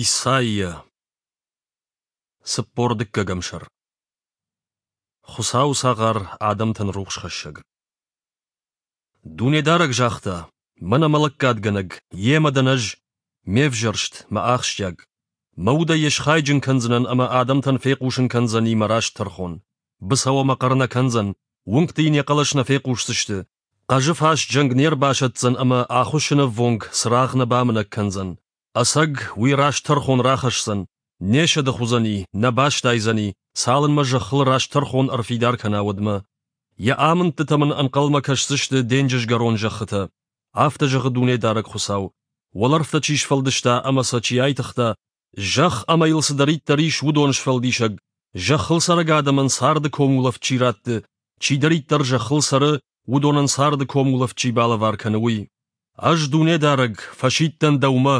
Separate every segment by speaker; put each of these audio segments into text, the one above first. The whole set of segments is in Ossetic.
Speaker 1: Исайя 42-ӕм сӕр Хуыцауы цагъар адӕмтӕн рухсхӕссӕг Дунедарӕг загъта: Мӕнӕ мӕ лӕггадгӕнӕг, йемӕ дӕн ӕз, ме взӕрст, мӕ ахсджиаг. Мӕ удӕй йӕ схайджын кӕндзынӕн ӕмӕ адӕмтӕн фехъусын кӕндзӕни мӕ раст тӕрхон. Быцӕу ӕмӕ хъӕр нӕ кӕндзӕн, уынгты йын йӕ хъӕлӕс нӕ фехъусдзысты, хъӕзы фаст зӕнг не рбасӕтдзӕн ӕмӕ ахуыссынӕввонг цырагъ нӕ бамынӕг кӕндзӕн. Ӕцӕг, уый раст тӕрхон рахӕсдзӕн, не сӕдых уыдзӕни, нӕ бастайдзӕни, цалынмӕ зӕххыл раст тӕрхон ӕрфидар кӕна, уӕдмӕ. Йӕ амындтытӕм ын ӕнхъӕлмӕ кӕсдзысты денджызгӕрон зӕххытӕ. Афтӕ зӕгъы Дунедарӕг Хуыцау, уӕлӕрвтӕ чи сфӕлдыста ӕмӕ сӕ чи айтыгъта, зӕхх ӕмӕ йыл цыдӕриддӕр ис, уыдон сфӕлдисӕг, зӕххыл цӕрӕг адӕмӕн царды комулӕфт чи ратты, чидӕриддӕр зӕххыл цӕры, уыдонӕн царды комулӕфт чи балӕвар кӕны, уый. Ӕз, Дунедарӕг, фӕсидтӕн дӕумӕ,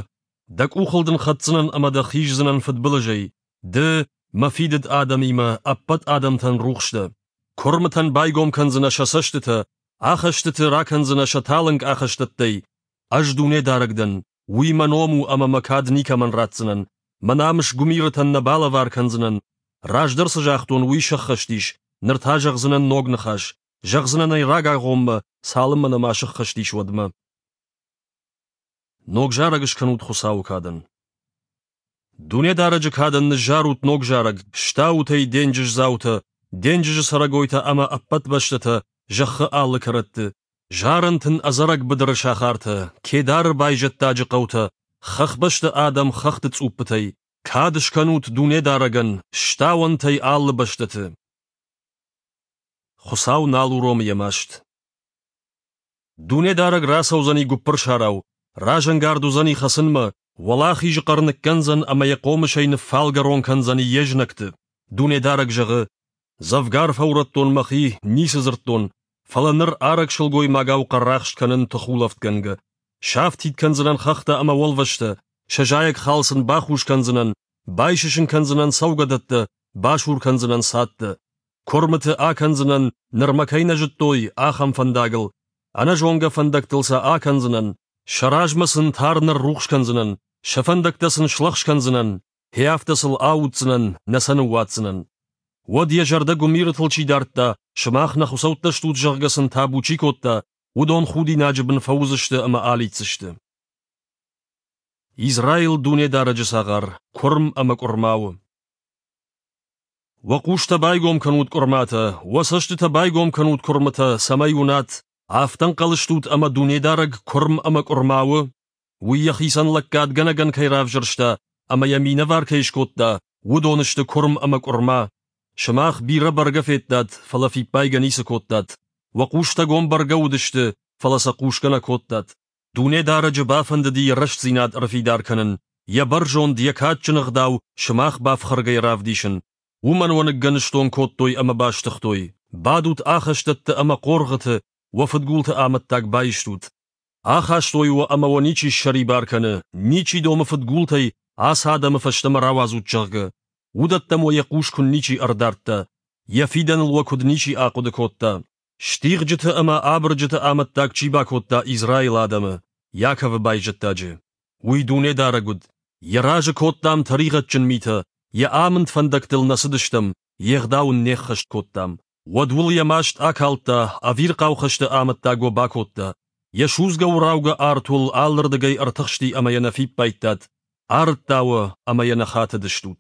Speaker 1: дӕ къухыл дын хӕцдзынӕн ӕмӕ дӕ хиздзынӕн фыдбылызӕй. Ды, мӕ фидыд адӕмимӕ, ӕппӕт адӕмтӕн рухс дӕ. Куырмытӕн байгом кӕндзынӕ сӕ цӕстытӕ, ахӕстыты ракӕндзынӕ сӕ талынг ахӕстӕттӕй. Ӕз Дунедарӕг дӕн, уый мӕ ном у ӕмӕ мӕ кад никӕмӕн ратдзынӕн, мӕ намыс гуымирытӕн нӕ балӕвар кӕндзынӕн. Раздӕр цы загътон, уый сӕххӕст ис, ныр та зӕгъдзынӕн ног ныхас, зӕгъдзынӕн ӕй рагагъоммӕ, цалынмӕ нӕма сыххӕст ис, уӕдмӕ. Ног зарӕг скӕнут Хуыцауы кадӕн. Дунедарӕджы кадӕн ныззарут ног зарӕг, стаут ӕй, денджыздзаутӕ, денджызы цӕрӕгойтӕ ӕмӕ ӕппӕт бӕстӕтӕ, зӕххы алы кӕрӕтты. Зарӕнт ын ӕдзӕрӕг быдыры сахартӕ, Кедары байзӕддаджы хъӕутӕ, хӕхбӕсты адӕм хӕхты цъуппытӕй. Кад скӕнут Дунедарӕгӕн, стауӕнт ӕй алы бӕстӕты. Хуыцау нал уромы йӕ маст. Дунедарӕг рацӕудзӕни гуыппырсарау, разӕнгард уыдзӕни хӕцынмӕ, уӕлахизы хъӕр ныккӕндзӕн ӕмӕ йӕ хъомысӕй ныффалгӕрон кӕндзӕни йе знӕгты. Дунедарӕг зӕгъы: Дзӕвгар фӕурӕдтон мӕхи, ницы дзырдтон, фӕлӕ ныр арӕг сылгоймагау хъӕррахст кӕнын тыхулӕфтгӕнгӕ. Сафтид кӕндзынӕн хӕхтӕ ӕмӕ уӕлвӕзтӕ, сӕ зайӕг хал сын бахус кӕндзынӕн, байсысын кӕндзынӕн цӕугӕдӕттӕ, басур кӕндзынӕн цадтӕ. Куырмыты акӕндзынӕн, нырмӕ кӕй нӕ зыдтой, ахӕм фӕндагыл, ӕнӕзонгӕ фӕндӕгтыл сӕ акӕндзынӕн, сӕ размӕ сын тар ныррухс кӕндзынӕн, сӕ фӕндӕгтӕ сын слӕгъз кӕндзынӕн, гье афтӕ сыл ауддзынӕн, нӕ сӕ ныууадздзынӕн. Уӕд йӕ зӕрдӕ гуымирытыл чи дардта, сымах нӕ хуыцӕуттӕ стут, зӕгъгӕ сын табу чи кодта, уыдон худинаджы бын фӕуыдзысты ӕмӕ алидздзысты. Израил Дунедарӕджы цагъар, куырм ӕмӕ къуырма у. Уӕ хъустӕ байгом кӕнут къуырматӕ, уӕ цӕстытӕ байгом кӕнут куырмытӕ, цӕмӕй уынат, афтӕ ӕнхъӕл стут ӕмӕ Дунедарӕг куырм ӕмӕ къуырма у? Уый йӕхицӕн лӕггадгӕнӕгӕн кӕй равзӕрста ӕмӕ йӕ минӕвар кӕй скодта, уыдон сты куырм ӕмӕ къуырма. Сымах бирӕ бӕргӕ федтат, фӕлӕ фиппайгӕ ницы кодтат. Уӕ хъустӕ гом бӕргӕ уыдысты, фӕлӕ сӕ хъусгӕ нӕ кодтат. Дунедарӕджы бафӕндыди йӕ рӕстдзинад ӕрфидар кӕнын, йӕ бӕрзонд, йӕ кадджын ӕгъдау сымах бафхӕргӕйӕ равдисын. Уымӕн уӕ ныггӕныстон кодтой ӕмӕ бастыгътой. Бадут ахӕстӕтты ӕмӕ хъоргъыты, уӕ фыдгулты амӕттаг баистут. Ахастой уӕ ӕмӕ уӕ ничи ссӕрибар кӕны, ничи домы фыдгултӕй, ацы адӕмы фӕстӕмӕ рауадзут, зӕгъгӕ. Уыдӕттӕм уӕ йӕ хъус куы ничи ӕрдардта, йӕ фидӕныл уӕ куыд ничи ахъуыды кодта. Стигъджыты ӕмӕ абырджыты амӕттаг чи бакодта Израилы адӕмы, Иаковы байзӕддаджы? Уый Дунедарӕг уыд. Йӕ разы кодтам тӕригъӕдджын митӕ, йӕ амынд фӕндӕгтыл нӕ цыдыстӕм, йе гъдау ын не ххӕст кодтам. Уӕд уыл йӕ маст акалдта, ӕвирхъау хӕсты амӕттаг уӕ бакодта. Йӕ судзгӕ-уыраугӕ арт уыл алырдыгӕй ӕртыхсти ӕмӕ йӕ нӕ фиппайдтат, арыдта уӕ ӕмӕ йӕ нӕ хатыдыстут.